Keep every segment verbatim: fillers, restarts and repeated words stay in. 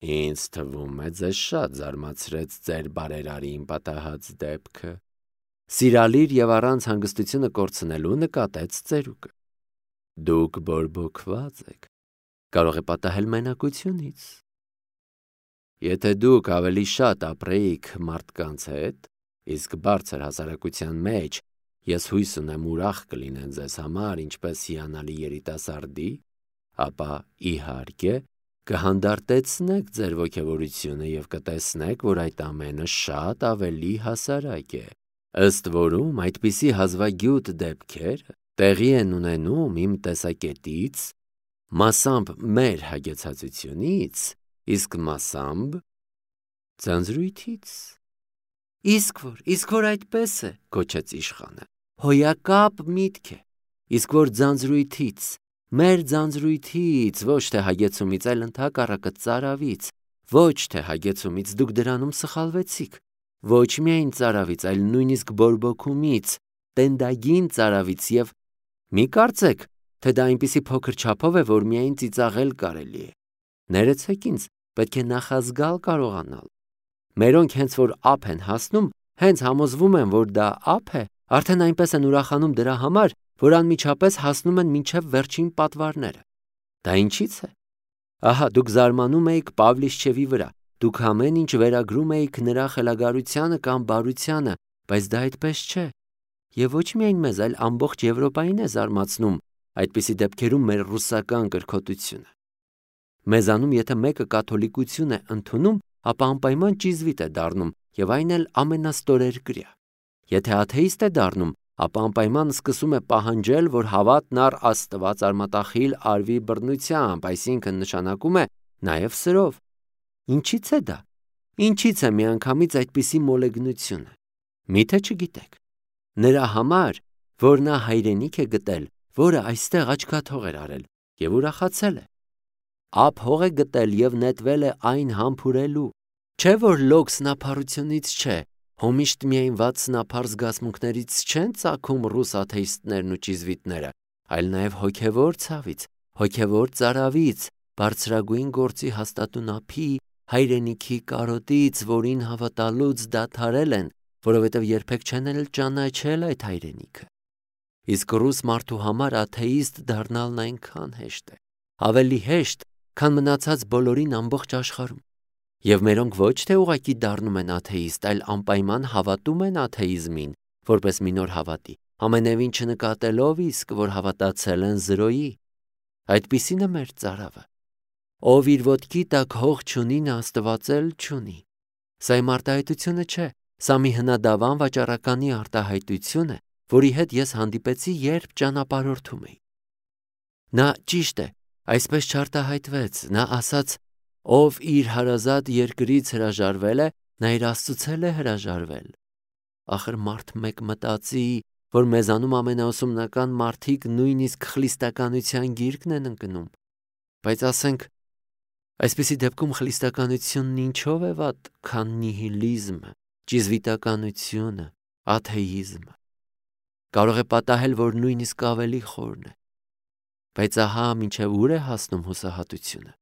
Ինձ թվում է ձեզ շատ զարմացրեց ձեր բարերարին պատահած դեպքը։ Սիրալիր և առանց հանգստությունը կորցնելու նկատեց ծերուկը։ Դուք բորբոքված եք, կարող է պատահել մենակությունից։ Եթե դուք ավելի շատ ապրեիք մարդկանց հետ, իսկ բարձր հասարակության մեջ, ես հույս ունեմ ուրախ կլինեն ձեզ համար, ինչպես հիանալի երիտասարդի, ապա իհարկե կհանդարտեցնեք ձեր ոգևորությունը և կտեսնեք, որ այդ ամենը շատ ավելի հասարակ է։ Ըստ որում այդպիսի հազվագյուտ դեպքեր տեղի են ունենում իմ տեսակետից, մասամբ մեր հագեցածությունից, իսկ մասամբ ձանձրույթից։ Իսկ որ, իսկ որ այդպես է, գոչեց իշխանը, հոյակապ միտք է, իսկ որ ձանձրույթից, մեր ձանձրույթից, ոչ թե հագեցումից, այլ ընդհակառակը ծարավից, ոչ թե հագեցումից դուք դրանում սխալվեցիք, ոչ միայն ծարավից, այլ նույնիսկ բորբոքումից, տենդագին ծարավից և մի կարծեք, թե դա այնպիսի փոքր չափով է, որ միայն ծիծաղել կարելի է։ Ներեցեք ինձ, պետք է նախազգալ կարողանալ։ Մերոնք հենց որ ափ են հասնում, հենց համոզվում են, որ դա ափ է, արդեն այնպես են ուրախանում դրա համար, որ անմիջապես հասնում են մինչև վերջին պատվարները։ Դա ինչից է։ Ահա դուք զարմանում էիք Պավլիշչևի վրա, դուք ամեն ինչ վերագրում էիք նրա խելագարությանը կամ բարությանը, բայց դա այդպես չէ։ Եվ ոչ միայն մեզ, այլ ամբողջ Եվրոպային է զարմացնում այդպիսի դեպքերում մեր ռուսական կրքոտությունը։ Մեզանում եթե մեկը կաթոլիկություն է ընդունում, ապա անպայման ճիզվիտ է դառնում, և այն էլ ամենաստորերկրյա։ Եթե աթեիստ է դառնում, ապա անպայման սկսում է պահանջել, որ հավատն առ Աստված արմատախիլ արվի բռնությամբ, այսինքն նշանակում է նաև սրով։ Ինչից է դա։ Ինչից է միանգամից այդպիսի մոլեգնությունը։ Միթե չգիտեք։ Նրա համար, որ նա հայրենիք է գտել, որը այստեղ աչքաթող էր արել, և ուրախացել է։ Ափ հող է գտել և նետվել է այն համբուրելու։ Չէ որ լոկ սնափառությունից չէ, հոմիշտ միայն վատ սնափառ զգացմունքներից չեն ծագում ռուս աթեիստներն ու ճիզվիտները, այլ նաև հոգևոր ցավից, հոգևոր ծարավից, բարձրագույն գործի հաստատուն ափի, հայրենիքի կարոտից, որին հավատալուց դադարել են, որովհետև երբեք չեն էլ ճանաչել այդ հայրենիքը։ Իսկ ռուս մարդու համար աթեիստ դառնալն այնքան հեշտ է, ավելի հեշտ, քան մնացած բոլորին ամբողջ աշխարհում։ Եվ մերոնք ոչ թե ուղղակի դառնում են աթեիստ, այլ անպայման հավատում են աթեիզմին, որպես մի նոր հավատի, ամենևին չնկատելով իսկ, որ հավատացել են զրոյի։ Այդպիսին է մեր ծարավը։ Ով իր ոտքի տակ հող չունի, նա Աստված էլ չունի։ Սա իմ արտահայտությունը չէ, սա մի հնադավան վաճառականի արտահայտություն է, որի հետ ես հանդիպեցի, երբ ճանապարհորդում էի։ Նա ճիշտ է, այսպես չարտահայտվեց, նա ասաց, ով իր հարազատ երկրից հրաժարվել է, նա իր Աստծուց էլ է հրաժարվել։ Ախր մարդ մեկ մտածի, որ մեզանում ամենաուսումնական մարդիկ նույնիսկ խլիստականության գիրկն են ընկնում։ Բայց ասենք, այսպիսի դեպքում խլիստականությունն ինչով է վատ, քան նիհիլիզմը, ճիզվիտականությունը, աթեիզմը։ Կարող է պատահել, որ նույնիսկ ավելի խորն է։ Բայց ահա մինչև ուր է հասնում հուսահատությունը։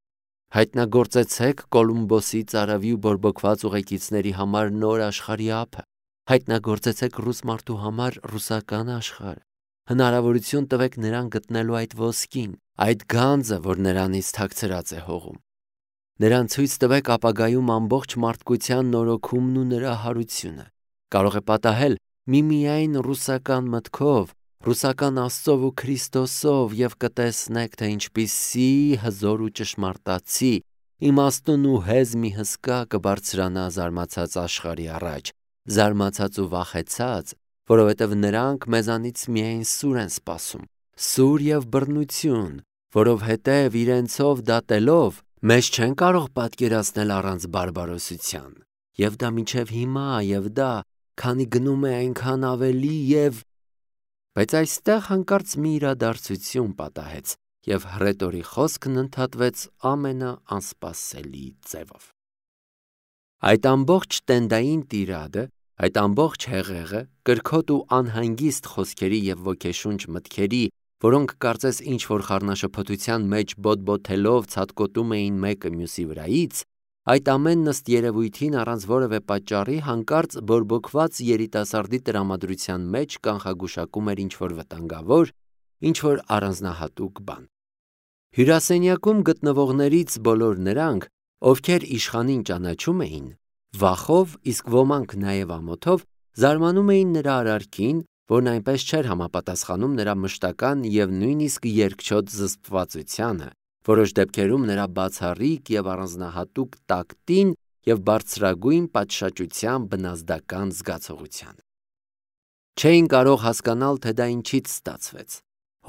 Հայտնագործեցեք Կոլումբոսի ծարավի ու բորբոքված ուղեկիցների համար նոր աշխարհի ափը։ Հայտնագործեցեք ռուս մարդու համար ռուսական աշխարհը։ Հնարավորություն տվեք նրան գտնելու այդ ոսկին, այդ գանձը, որ նրանից թաքցրած է հողում։ Նրան ցույց տվեք ապագայում ամբողջ մարդկության նորոգումն ու նրա հարությունը։ Կարող է պատահել միմիայն ռուսական մտքով, ռուսական Աստծով ու Քրիստոսով, և կտեսնեք, թե ինչպիսի հզոր ու ճշմարտացի, իմաստուն ու հեզ մի հսկա կբարձրանա զարմացած աշխարհի առաջ, զարմացած ու վախեցած, որովհետև նրանք մեզանից միայն սուր են սպասում, սուր և բռնություն, որովհետև իրենցով դատելով մեզ չեն կարող պատկերացնել առանց բարբարոսության, և դա մինչև հիմա, և դա, քանի գնում է այնքան ավելի, և… Բայց այստեղ հանկարծ մի իրադարձություն պատահեց, և հռետորի խոսքն ընդհատվեց ամենաանսպասելի ձևով։ Այդ ամբողջ տենդային տիրադը, այդ ամբողջ հեղեղը, կրքոտ ու անհանգիստ խոսքերի և ոգեշունչ մտքերի, որոնք կարծես ինչ-որ խառնաշփոթության մեջ բոթբոթելով ցատկոտում էին մեկը մյուսի վրայից, այդ ամենն ըստ երևույթին առանց որևէ պատճառի հանկարծ բորբոքված երիտասարդի տրամադրության մեջ կանխագուշակում էր ինչ-որ վտանգավոր, ինչ-որ առանձնահատուկ բան։ Հյուրասենյակում գտնվողներից բոլոր նրանք, ովքեր իշխանին ճանաչում էին, վախով, իսկ ոմանք նաև ամոթով, զարմանում էին նրա արարքին, որն այնպես չէր համապատասխանում նրա մշտական և նույնիսկ երկչոտ զսպվածությանը, որոշ դեպքերում նրա բացառիկ և առանձնահատուկ տակտին և բարձրագույն պատշաճության բնազդական զգացողությանը։ Չէին կարող հասկանալ, թե դա ինչից ստացվեց։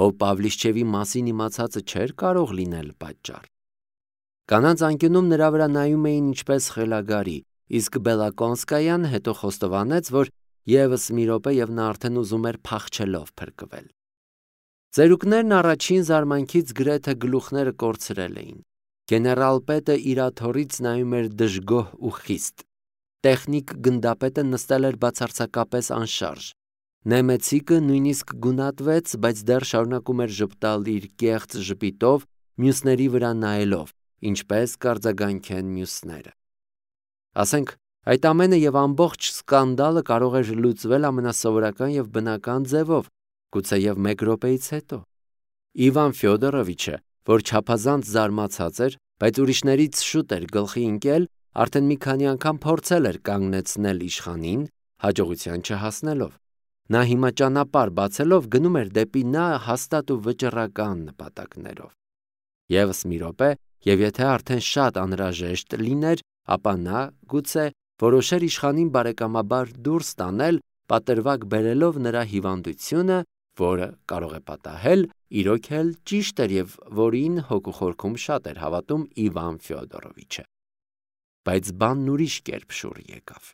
Հո Պավլիշչևի մասին իմացածը չէր կարող լինել պատճառ։ Կանանց անկյունում նրա վրա նայում էին ինչպես խելագարի, իսկ Բելակոնսկայան հետո խոստովանեց, որ ևս մի րոպե և նա արդեն ուզում էր փախչելով փրկվել։ Ծերուկներն առաջին զարմանքից գրեթե գլուխները կորցրել էին։ Գեներալ-պետը իր աթոռից նայում էր դժգոհ ու խիստ։ Տեխնիկ գնդապետը նստել էր բացարձակապես անշարժ։ Նեմեցիկը նույնիսկ գունատվեց, բայց դեռ շարունակում էր ժպտալ իր կեղծ ժպիտով, մյուսների վրա նայելով, ինչպես կարձագանքեն մյուսները։ Ասենք, այդ ամենը և ամբողջ սկանդալը կարող էր լուծվել ամենասովորական և բնական ձևով, գուցեև մեկ րոպեից հետո։ Իվան Ֆյոդորովիչը, որ չափազանց զարմացած էր, բայց ուրիշներից շուտ էր գլխի ընկել, արդեն մի քանի անգամ փորձել էր կանգնեցնել իշխանին, հաջողության չհասնելով։ Նա հիմա ճանապարհ բացելով գնում էր դեպի նա հաստատ ու վճռական նպատակներով։ Եվս մի րոպե, և եթե արդեն շատ անհրաժեշտ լիներ, ապա նա, գուցե, որոշեր իշխանին բարեկամաբար դուրս տանել, պատրվակ բերելով նրա հիվանդությունը, որը կարող է պատահել, իրոք էլ ճիշտ էր և որին հոգու խորքում շատ էր հավատում Իվան Ֆյոդորովիչը։ Բայց բանն ուրիշ կերպ շուռ եկավ։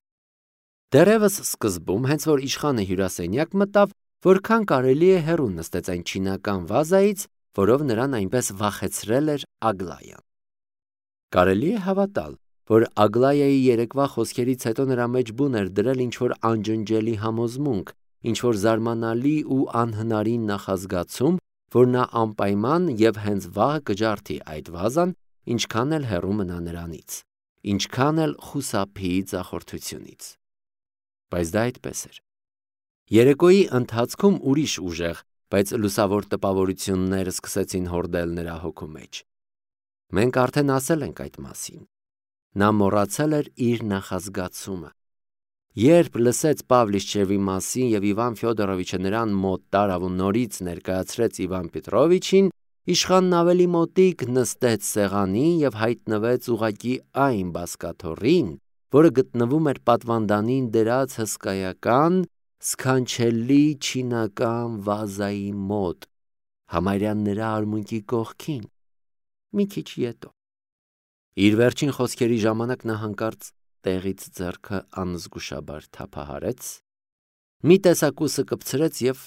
Դեռևս սկզբում, հենց որ իշխանը հյուրասենյակ մտավ, որքան կարելի է հեռու նստեց այն չինական վազայից, որով նրան այնպես վախեցրել էր Ագլայան։ Կարելի է հավատալ, որ Ագլայայի երեկվա խոսքերից հետո նրա մեջ բուն էր դրել ինչ-որ անջնջելի համոզմունք, ինչ-որ զարմանալի ու անհնարին նախազգացում, որ նա անպայման և հենց վաղը կջարդի այդ վազան, ինչքան էլ հեռու մնա նրանից, ինչքան էլ խուսափի ձախորդությունից։ Բայց դա այդպես էր։ Երեկոյի ընթացքում ուրիշ ուժեղ, բայց լուսավոր տպավորություններ սկսեցին հորդել նրա հոգու մեջ։ Մենք արդեն ասել ենք այդ մասին։ Նա մոռացել էր իր նախազգացումը։ Երբ լսեց Պավլիշչևի մասին և Իվան Ֆյոդորովիչը նրան մոտ տարավ ու նորից ներկայացրեց Իվան Պետրովիչին, իշխանն ավելի մոտիկ նստեց սեղանին և հայտնվեց ուղղակի այն բազկաթոռին, որը գտնվում էր պատվանդանին դրած հսկայական, սքանչելի չինական վազայի մոտ, համարյա նրա արմունկի կողքին, մի քիչ ետո։ Իր վերջին խոսքերի ժամանակ նա հանկարծ տեղից ձեռքը անզգուշաբար թափահարեց, մի տեսակուսը կպցրեց և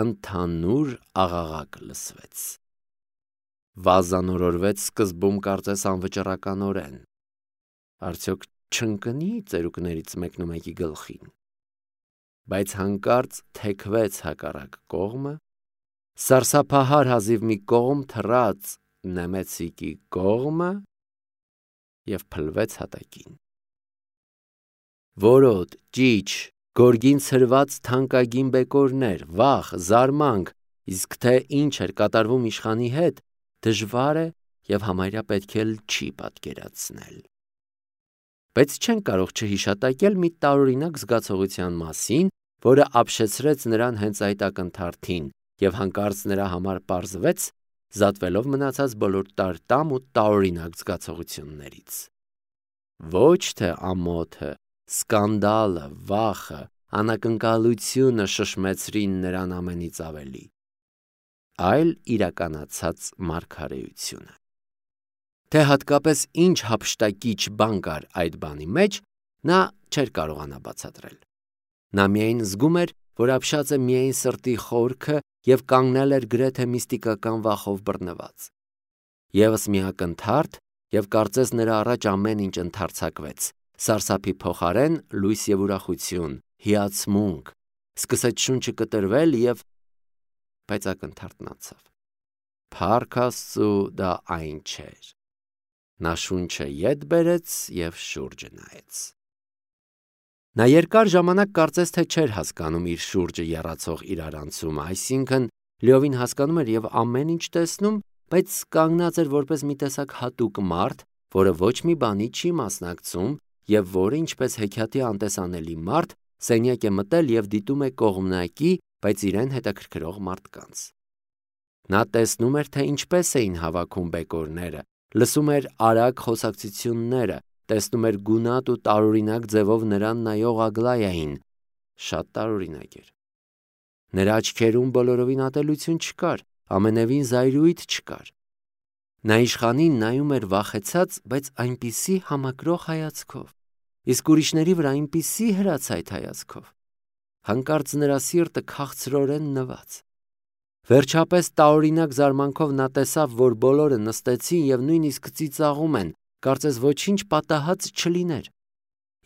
ընդհանուր աղաղակ լսվեց։ Վազան օրորվեց սկզբում կարծես անվճռականորեն, արդյոք չընկնի ծերուկներից մեկնումեկի գլխին, բայց հանկարծ թեքվեց հակառակ կողմը, սարսափահար հազիվ մի կողմ թռաց Նեմեցիկի կողմը և փլվեց հատակին։ Որոտ, ճիչ, գորգին ցրված թանկագին բեկորներ, վախ, զարմանք, իսկ թե ինչ էր կատարվում իշխանի հետ, դժվար է և համարյա պետք էլ չի պատկերացնել։ Բայց չենք կարող չհիշատակել մի տարօրինակ զգացողության մասին, որը ապշեցրեց նրան հենց այդ ակնթարթին և հանկարծ նրա համար պարզվեց, զատվելով մնացած բոլոր տարտամ ու տարօրինակ զգացողություններից։ Ոչ թե ամոթը, սկանդալը, վախը, անակնկալությունը շշմեցրին նրան ամենից ավելի, այլ իրականացած մարգարեությունը։ Թե հատկապես ինչ հափշտակիչ բան կար այդ բանի մեջ, նա չէր կարողանա բացատրել։ Նա միայն զգում էր, որ ապշած է միայն սրտի խորքը և կանգնել էր գրեթե միստիկական վախով բռնված։ Եվս մի ակնթարթ, և կարծես նրա առաջ ամեն ինչ ընդարձակվեց, սարսափի փոխարեն լույս և ուրախություն, հիացմունք, սկսեց շունչը կտրվել և… բայց ակնթարթն անցավ։ Փառք Աստծու, դա այն չէր։ Նա շունչը ետ բերեց և շուրջը նայեց։ Նա երկար ժամանակ կարծես թե չէր հասկանում իր շուրջը եռացող իրարանցումը, այսինքն լիովին հասկանում էր և ամեն ինչ տեսնում, բայց կանգնած էր որպես մի տեսակ հատուկ մարդ, որը ոչ մի բանի չի մասնակցում և որը, ինչպես հեքիաթի անտեսանելի մարդ, սենյակ է մտել և դիտում է կողմնակի, բայց իրեն հետաքրքրող մարդկանց։ Նա տեսնում էր, թե ինչպես էին հավաքում բեկորները, լսում էր արագ խոսակցությունները, տեսնում էր գունատ ու տարօրինակ ձևով նրան նայող Ագլայային, շատ տարօրինակ էր։ Նրա աչքերում բոլորովին ատելություն չկար, ամենևին զայրույթ չկար։ Նա իշխանին նայում էր վախեցած, բայց այնպիսի համակրող հայացքով, իսկ ուրիշների վրա այնպիսի հրացայտ հայացքով։ Հանկարծ նրա սիրտը քաղցրորեն նված։ Վերջապես տարօրինակ զարմանքով նա տեսավ, որ բոլորը նստեցին և նույնիսկ ծիծաղում են, կարծես ոչինչ պատահած չլիներ։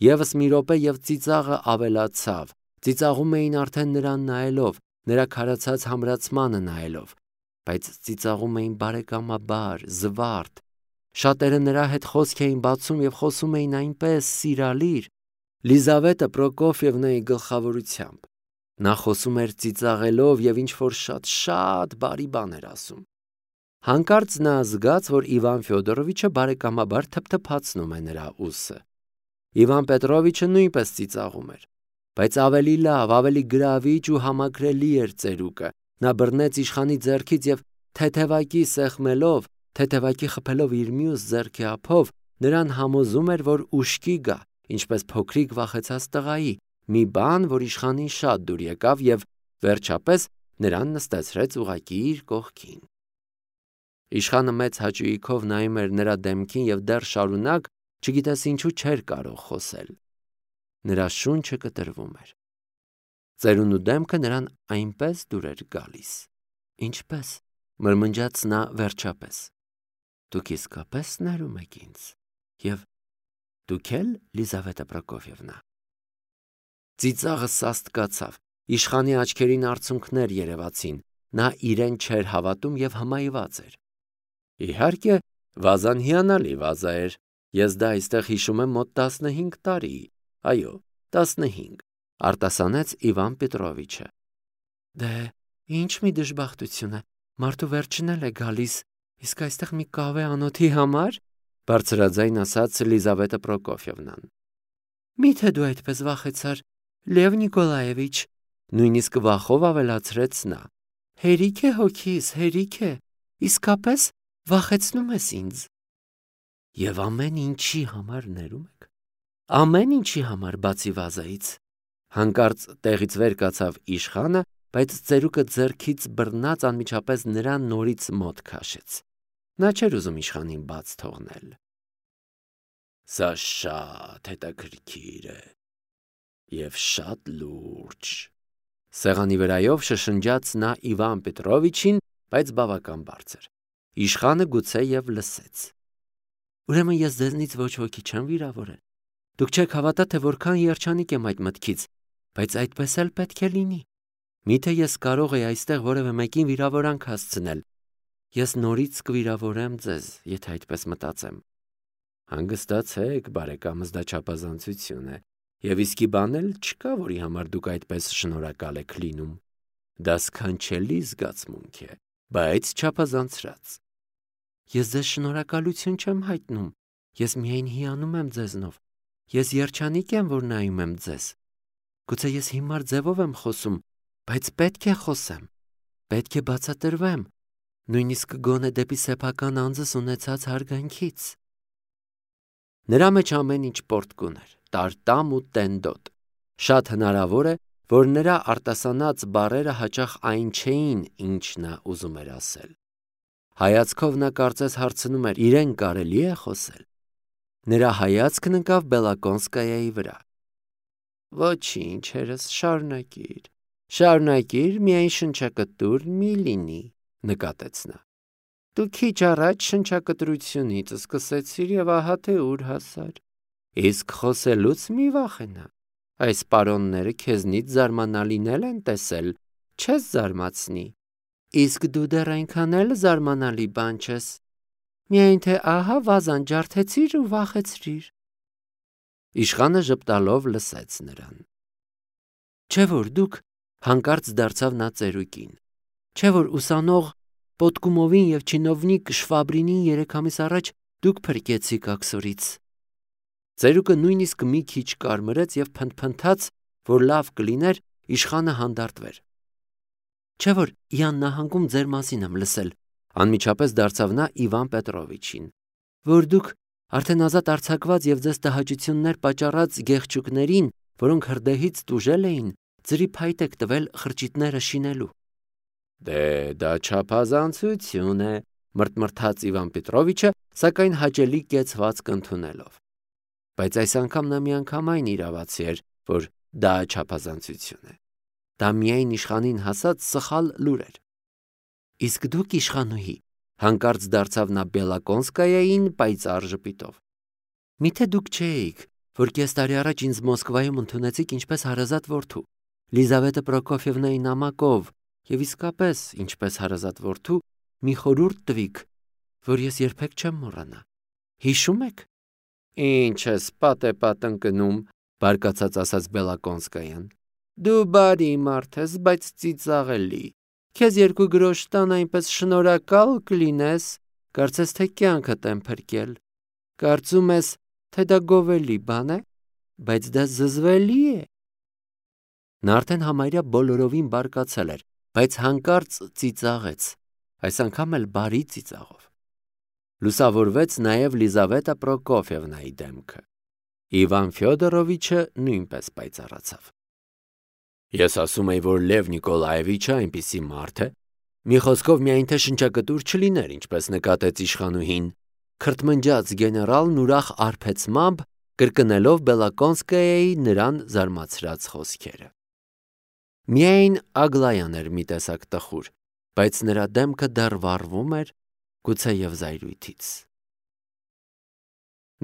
Եվս մի րոպե և ծիծաղը ավելացավ, ծիծաղում էին արդեն նրան նայելով, նրա քարացած համրացմանը նայելով, բայց ծիծաղում էին բարեկամաբար, զվարթ։ Շատերը նրա հետ խոսք էին բացում և խոսում էին այնպես սիրալիր, Լիզավետա Պրոկոֆիևնայի գլխավորությամբ։ Նա խոսում էր ծիծաղելով և ինչ-որ շատ-շատ բարի բան էր ասում։ Հանկարծ նա զգաց, որ Իվան Ֆյոդորովիչը բարեկամաբար թփթփացնում է նրա ուսը։ Իվան Պետրովիչը նույնպես ծիծաղում էր, բայց ավելի լավ, ավելի գրավիչ ու համակրելի էր ծերուկը։ Նա բռնեց իշխանի ձեռքից և թեթևակի սեղմելով, թեթևակի խփելով իր մյուս ձեռքի ափով, նրան համոզում էր, որ ուշքի գա, ինչպես փոքրիկ վախեցած տղայի, մի բան, որ իշխանին շատ դուր եկավ և, վերջապես, նրան նստեցրեց ուղղակի իր կողքին։ Իշխանը մեծ հաճույքով նայում էր նրա դեմքին և դեռ շարունակ, չգիտես ինչու չէր կարող խոսել։ Նրա շունչը կտրվում էր։ Ծերունու դեմքը նրան այնպես դուր էր գալիս։ Ինչպե՞ս, մրմնջաց նա վերջապես։ Դուք իսկապես ներում եք ինձ, և դուք էլ, Լիզավետա Պրոկոֆիևնա։ Ծիծաղը սաստկացավ, իշխանի աչքերին արցունքներ երևացին, նա իրեն չէր հավատում և հմայված էր։ Իհարկե, վազան հիանալի վազա էր, ես դա այստեղ հիշում եմ մոտ տասնհինգ տարի, այո, տասնհինգ, արտասանեց Իվան Պետրովիչը։ Դե, ինչ մի դժբախտություն է, մարդու վերջն էլ է գալիս, իսկ այստեղ մի կավե անոթի համար, բարձրաձայն ասաց Լիզավետա Պրոկոֆիևնան։ Մի՞թե դու այդպես վախեցար, Լև Նիկոլաևիչ, նույնիսկ վախով ավելացրեց նա։ Հերիք է հոգիս, հերիք է, իսկապես վախեցնում ես ինձ։ Եվ ամեն ինչի համար ներում եք։ Ամեն ինչի համար բացի վազայից։ Հանկարծ տեղից վեր կացավ իշխանը, բայց ծերուկը ձեռքից բռնած անմիջապես նրան նորից մոտ քաշեց։ Նա չէր ուզում իշխանին բաց թողնել։ Սա շատ հետաքրքիր է և շատ լուրջ, սեղանի վրայով շշնջաց նա Իվան Պետրովիչին, բայց բավական բարձր։ Իշխանը գուցե և լսեց։ Ուրեմն ես ձեզնից ոչ ոքի չեմ վիրավորել։ Դուք չեք հավատա, թե որքան երջանիկ եմ այդ մտքից, բայց այդպես էլ պետք է լինի։ Միթե ես կարող էի այստեղ որևէ մեկին վիրավորանք հասցնել։ Ես նորից կվիրավորեմ ձեզ, եթե այդպես մտածեմ։ Հանգստացեք, բարեկամս, դա չափազանցություն է, և իսկի բան էլ չկա, որի համար դուք այդպես շնորհակալ եք լինում։ Դա սքանչելի զգացմունք է, բայց չափազանցրած։ Ես ձեզ շնորհակալություն չեմ հայտնում, ես միայն հիանում եմ ձեզնով, ես երջանիկ եմ, որ նայում եմ ձեզ։ Գուցե ես հիմար ձևով եմ խոսում, բայց պետք է խոսեմ, պետք է բացատրվեմ, նույնիսկ գոնե դեպի սեփական անձս ունեցած հարգանքից։ Նրա մեջ ամեն ինչ պոռթկուն էր, տարտամ ու տենդոտ։ Շատ հնարավոր է, որ նրա արտասանած բառերը հաճախ այն չէին, ինչ նա ուզում էր ասել։ Հայացքով նա կարծես հարցնում էր, իրեն կարելի է խոսել։ Նրա հայացքն ընկավ Բելակոնսկայայի վրա։ Ոչինչ, հերս, շարունակիր, շարունակիր, միայն շնչակտուր մի լինի, նկատեց նա։ Դու քիչ առաջ շնչակտրությունից սկսեցիր և ահա թե ուր հասար։ Իսկ խոսելուց մի վախենա։ Այս պարոնները քեզնից զարմանալին էլ են տեսել, չես զարմացնի։ Իսկ դու դեռ այնքան էլ զարմանալի բան չես։ Միայն թե ահա վազան ջարդեցիր ու վախեցրիր։ Իշխանը ժպտալով լսեց նրան։ Չէ՞ որ դուք, հանկարծ դարձավ նա ծերուկին, չէ՞ որ ուսանող Պոտկումովին և չինովնիկ Շվաբրինին երեք ամիս առաջ դուք փրկեցիք աքսորից։ Ծերուկը նույնիսկ մի քիչ կարմրեց և փնթփնթաց, որ լավ կլիներ իշխանը հանդարտվեր։ Չէ՞ որ Յան նահանգում ձեր մասին եմ լսել, անմիջապես դարձավ նա Իվան Պետրովիչին, որ դուք արդեն ազատ արձակված և ձեզ տհաճություններ պատճառած գեղչուկներին, որոնք հրդեհից տուժել էին, ձրի փայտ եք տվել խրճիթները շինելու։ Դե դա չափազանցություն է, մրթմրթաց Իվան Պետրովիչը, սակայն հաճելի կեցվածք ընդունելով։ Բայց այս անգամ նա միանգամայն իրավացի էր, որ դա չափազանցություն է։ Դա միայն իշխանին հասած սխալ լուր էր։ Իսկ դուք, իշխանուհի, հանկարծ դարձավ նա Բելակոնսկայային պայծառ ժպիտով։ Միթե դուք չէիք, որ կես տարի առաջ ինձ Մոսկվայում ընդունեցիք ինչպես հարազատ որդու, Լիզավետա Պրոկոֆիևնայի նամակով, և իսկապես, ինչպես հարազատ որդու, մի խորհուրդ տվիք, որ ես երբեք չեմ մոռանա։ Հիշո՞ւմ եք։ Ինչ ես պատեպատ ընկնում, բարկացած ասաց Բելակոնսկայան։ Դու բարի մարդ ես, բայց ծիծաղելի։ Քեզ երկու գրոշ տան այնպես շնորհակալ կլինես, կարծես թե կյանքդ եմ փրկել։ Կարծում ես, թե դա գովելի բան է, բայց դա զզվելի է։ Նա արդեն համարյա բոլորովին բարկացել էր, բայց հանկարծ ծիծաղեց, այս անգամ էլ բարի ծիծաղով։ Լուսավորվեց նաև Լիզավետա Պրոկոֆիևնայի դեմքը։ Իվան Ֆյոդորովիչը նույնպես պայծառացավ։ Ես ասում էի, որ Լև Նիկոլաևիչը այնպիսի մարդ է, մի խոսքով միայն թե շնչակտուր չլիներ, ինչպես նկատեց իշխանուհին, քրթմնջաց գեներալն ուրախ արբեցմամբ կրկնելով Բելակոնսկայայի նրան զարմացրած խոսքերը։ Միայն Ագլայան էր մի տեսակ տխուր, բայց նրա դեմքը դեռ վառվում էր, գուցեև զայրույթից։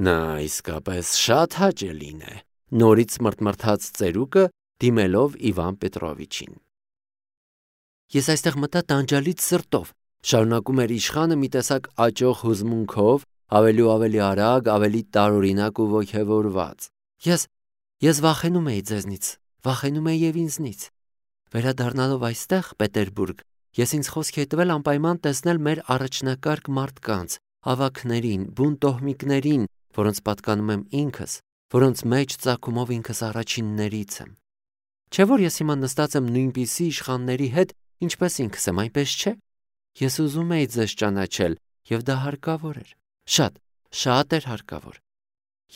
Նա իսկապես շատ հաճելին է, նորից մրթմրթաց ծերուկը, դիմելով Իվան Պետրովիչին։ Ես այստեղ մտա տանջալից սրտով, շարունակում էր իշխանը մի տեսակ աճող հուզմունքով, ավելի ու ավելի արագ, ավելի տարօրինակ ու ոգևորված։ Ես ես վախենում էի ձեզնից, վախենում էի և ինձնից։ Վերադառնալով այստեղ, Պետերբուրգ, ես ինձ խոսք էի տվել անպայման տեսնել մեր առաջնակարգ մարդկանց, ավագներին, բուն տոհմիկներին, որոնց պատկանում եմ ինքս, որոնց մեջ ծագումով ինքս առաջիններից եմ։ Չէ՞ որ ես հիմա նստած եմ նույնպիսի իշխանների հետ, ինչպես ինքս եմ, այնպես չէ։ Ես ուզում էի ձեզ ճանաչել, և դա հարկավոր էր։ Շատ, շատ էր հարկավոր։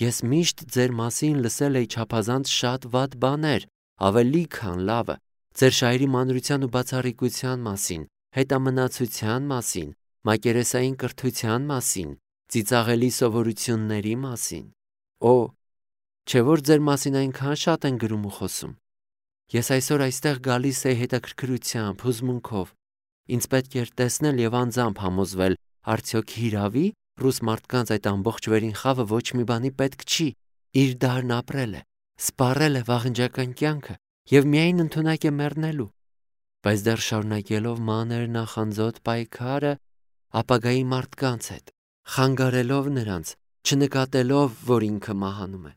Ես միշտ ձեր մասին լսել էի չափազանց շատ վատ բաներ, ավելի քան լավը, ձեր շահերի մանրության ու բացառիկության մասին, հետամնացության մասին, մակերեսային կրթության մասին, ծիծաղելի սովորությունների մասին։ Օ, չէ՞ որ ձեր մասին այնքան շատ են գրում ու խոսում։ Ես այսօր այստեղ գալիս էի հետաքրքրությամբ, հուզմունքով։ Ինձ պետք էր տեսնել և անձամբ համոզվել, արդյոք հիրավի ռուս մարդկանց այդ ամբողջ վերին խավը ոչ մի բանի պետք չի, իր դարն ապրել է, սպառել է վաղնջական կյանքը և միայն ընդունակ է մեռնելու։ Բայց դեռ շարունակելով մանր նախանձոտ պայքարը ապագայի մարդկանց հետ, խանգարելով նրանց, չնկատելով, որ ինքը մահանում է։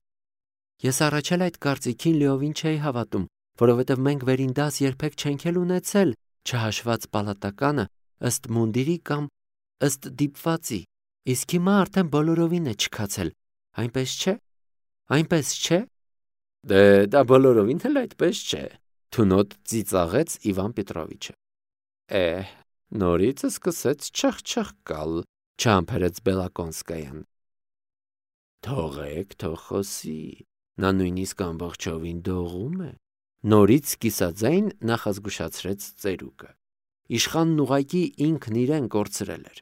Ես առաջ էլ այդ կարծիքին լիովին չէի հավատում, որովհետև մենք վերին դաս երբեք չենք էլ ունեցել, չհաշված պալատականը, ըստ մունդիրի կամ ըստ դիպվածի, իսկ հիմա արդեն բոլորովին է չքացել, այնպես չէ։ Այնպես չէ։ Դե դա բոլորովին էլ այդպես չէ, թունոտ ծիծաղեց Իվան Պետրովիչը։ Էհ, նորից սկսեց չխչխկալ, չհամբերեց Բելակոնսկայան։ Թողեք, թող խոսի, նա նույնիսկ ամբողջովին դողում է, նորից կիսաձայն նախազգուշացրեց ծերուկը։ Իշխանն ուղղակի ինքն իրեն կորցրել էր։